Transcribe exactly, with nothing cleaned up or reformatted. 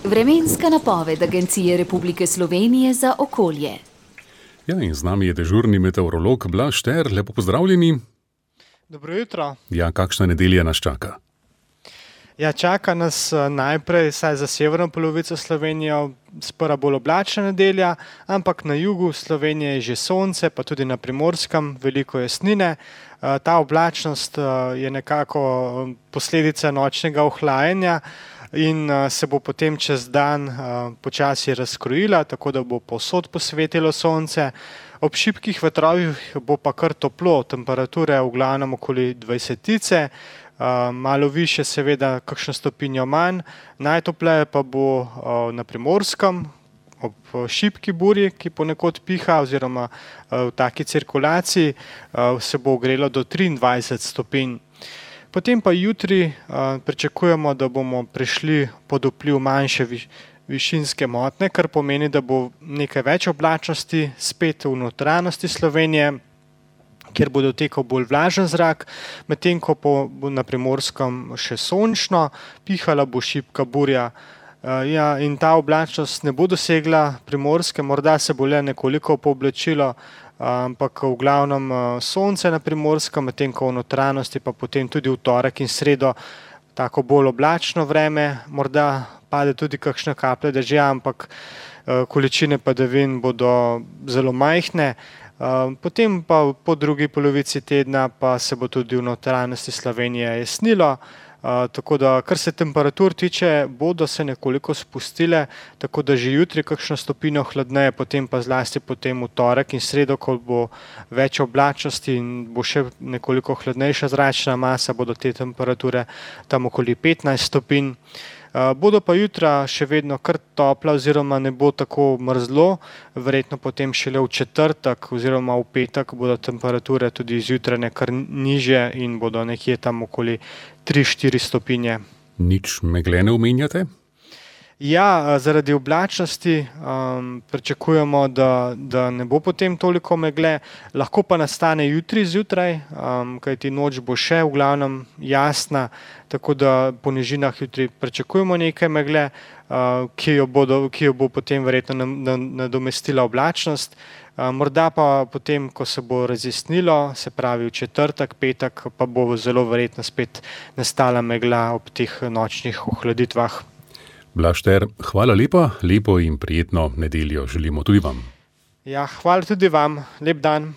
Vremenska napoved Agencije Republike Slovenije za okolje. Ja, in z nami je dežurni meteorolog Blaž Šter. Lepo pozdravljeni. Dobro jutro. Ja, kakšna nedelja nas čaka? Ja, čaka nas najprej, saj za severno polovico Slovenije, sprva bolj oblačna nedelja, ampak na jugu Slovenije je že sonce, pa tudi na Primorskem veliko jasnine. Ta oblačnost je nekako posledica nočnega ohlajanja in se bo potem čez dan počasi razkrojila, tako da bo povsod posvetilo sonce. Ob šibkih vetrovih bo pa kar toplo, temperature v glavnem okoli dvajsetice, malo više seveda kakšno stopinjo manj, najtopleje pa bo na Primorskem, ob šibki burji, ki ponekod piha oziroma v taki cirkulaciji, se bo ogrelo do triindvajset stopinj. Potem pa jutri pričakujemo, da bomo prišli pod vpliv manjše višinske motnje, kar pomeni, da bo nekaj več oblačnosti spet v notranjosti Slovenije, kjer bo dotekal bolj vlažen zrak, medtem ko bo na Primorskem še sončno, pihala bo šibka burja. Ja, in ta oblačnost ne bo dosegla Primorske, morda se bo le nekoliko pooblačilo, ampak v glavnem sonce na Primorskem, medtem ko v notranjosti pa potem tudi v torek in sredo tako bolj oblačno vreme, morda pade tudi kakšna kaplja dežja, ampak količine padavin bodo zelo majhne. Potem pa po drugi polovici tedna pa se bo tudi v notranjosti Slovenije jasnilo, tako da kar se temperatur tiče, bodo se nekoliko spustile, tako da že jutri kakšno stopinjo hladneje, potem pa zlasti potem v torek in sredo, ko bo več oblačnosti in bo še nekoliko hladnejša zračna masa, bodo te temperature tam okoli petnajst stopinj. Bodo pa jutra še vedno kar topla oziroma ne bo tako mrzlo, verjetno potem šele v četrtek oziroma v petek bodo temperature tudi zjutraj kar nižje in bodo nekje tam okoli tri štiri stopinje. Nič megle ne omenjate? Ja, zaradi oblačnosti um, pričakujemo, da, da ne bo potem toliko megle, lahko pa nastane jutri zjutraj, um, kajti noč bo še v glavnem jasna, tako da po nižinah jutri pričakujemo nekaj megle, uh, ki, jo bodo, ki jo bo potem verjetno nadomestila oblačnost. Uh, morda pa potem, ko se bo razjasnilo, se pravi v četrtek, petek, pa bo zelo verjetno spet nastala megla ob teh nočnih ohladitvah. Blaž Šter, hvala lepa, lepo in prijetno nedeljo želimo tudi vam. Ja, hvala tudi vam, lep dan.